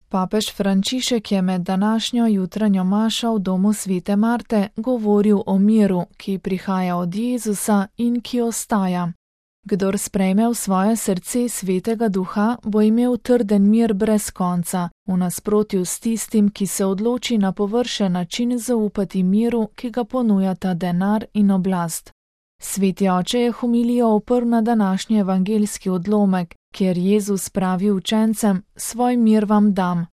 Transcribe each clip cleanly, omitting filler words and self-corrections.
Papež Frančišek je med današnjo jutranjo mašo v domu svete Marte govoril o miru, ki prihaja od Jezusa in ki ostaja. Kdor sprejme v svoje srce svetega duha, bo imel trden mir brez konca, v nasprotju s tistim, ki se odloči na površen način zaupati miru, ki ga ponujata denar in oblast. Sveti oče je homilijo oprl na današnji evangeljski odlomek, kjer Jezus pravi učencem: svoj mir vam dam.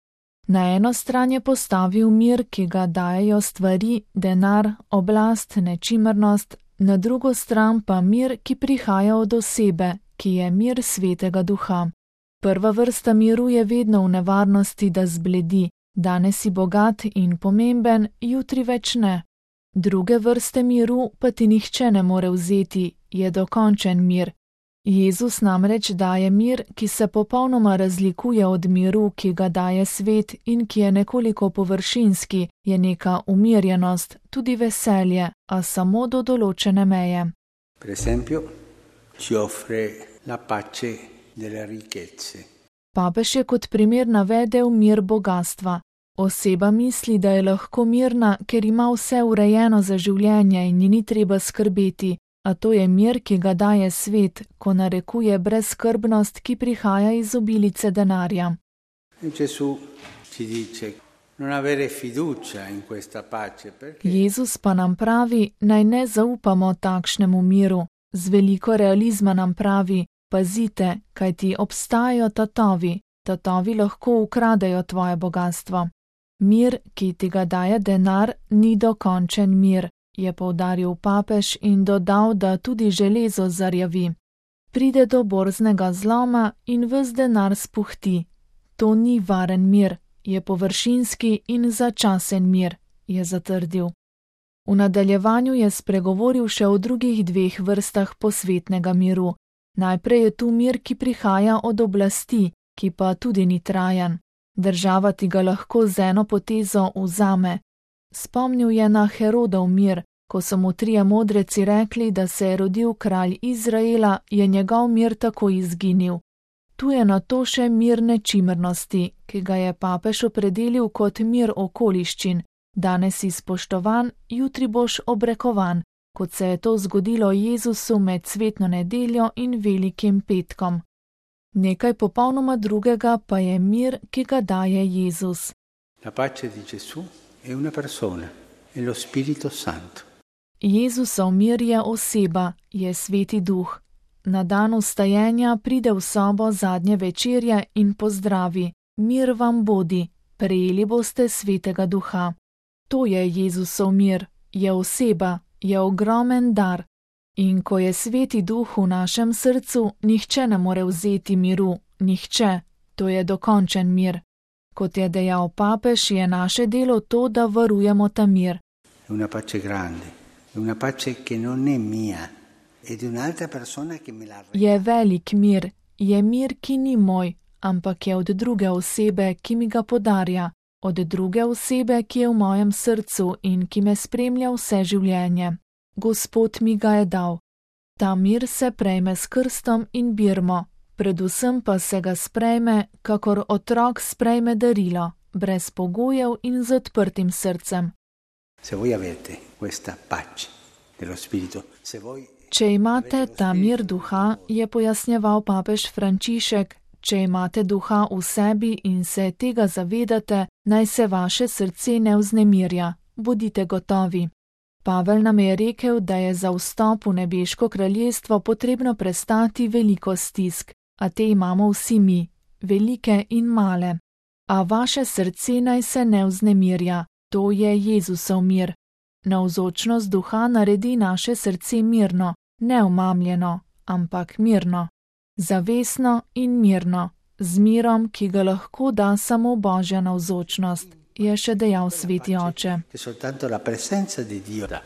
Na eno stran je postavil mir, ki ga dajejo stvari, denar, oblast, nečimrnost, na drugo stran pa mir, ki prihaja od osebe, ki je mir svetega duha. Prva vrsta miru je vedno v nevarnosti, da zbledi, danes si bogat in pomemben, jutri več ne. Druge vrste miru pa ti nihče ne more vzeti, je dokončen mir. Jezus namreč daje mir, ki se popolnoma razlikuje od miru, ki ga daje svet in ki je nekoliko površinski, je neka umirjenost, tudi veselje, a samo do določene meje. Per esempio, ci offre la pace delle ricchezze. Papež je kot primer navedel mir bogastva. Oseba misli, da je lahko mirna, ker ima vse urejeno za življenje in ji ni treba skrbeti, a to je mir, ki ga daje svet, ko narekuje brezskrbnost, ki prihaja iz obilice denarja. Jezus pa nam pravi, naj ne zaupamo takšnemu miru. Z veliko realizma nam pravi: pazite, kajti obstajajo tatovi. Tatovi lahko ukradejo tvoje bogastvo. Mir, ki ti ga daje denar, ni dokončen mir, je poudaril papež in dodal, da tudi železo zarjavi. Pride do borznega zloma in ves denar spuhti. To ni varen mir, je površinski in začasen mir, je zatrdil. V nadaljevanju je spregovoril še o drugih dveh vrstah posvetnega miru. Najprej je tu mir, ki prihaja od oblasti, ki pa tudi ni trajan. Država ti ga lahko z eno potezo vzame. Spomnil je na Herodov mir, ko so mu trije modreci rekli, da se je rodil kralj Izraela, je njegov mir tako izginil. Tu je nato še mir nečimrnosti, ki ga je papež opredelil kot mir okoliščin. Danes si spoštovan, jutri boš obrekovan, kot se je to zgodilo Jezusu med cvetno nedeljo in velikim petkom. Nekaj popolnoma drugega pa je mir, ki ga daje Jezus. La pace di Gesù è una persona, è lo Spirito Santo. Jezusov mir je oseba, je Sveti Duh. Na dan vstajenja pride v sobo zadnje večerje in pozdravi: mir vam bodi, prejeli boste Svetega Duha. To je Jezusov mir, je oseba, je ogromen dar. In ko je Sveti Duh v našem srcu, nihče ne more vzeti miru, nihče, to je dokončen mir. Kot je dejal papež, je naše delo to, da varujemo ta mir. Una pace grande, una pace che non è mia, è di un'altra persona che me la... Je velik mir, je mir, ki ni moj, ampak je od druge osebe, ki mi ga podarja, od druge osebe, ki je v mojem srcu in ki me spremlja vse življenje. Gospod mi ga je dal. Ta mir se prejme s krstom in birmo, predvsem pa se ga sprejme, kakor otrok sprejme darilo, brez pogojev in z odprtim srcem. Če imate ta mir duha, je pojasnjeval papež Frančišek, če imate duha v sebi in se tega zavedate, naj se vaše srce ne vznemirja, bodite gotovi. Pavel nam je rekel, da je za vstop v nebeško kraljestvo potrebno prestati veliko stisk, a te imamo vsi mi, velike in male. A vaše srce naj se ne vznemirja, to je Jezusov mir. Navzočnost duha naredi naše srce mirno, ne omamljeno, ampak mirno. Zavestno in mirno, z mirom, ki ga lahko da samo Božja navzočnost, je še dejal Sveti Oče.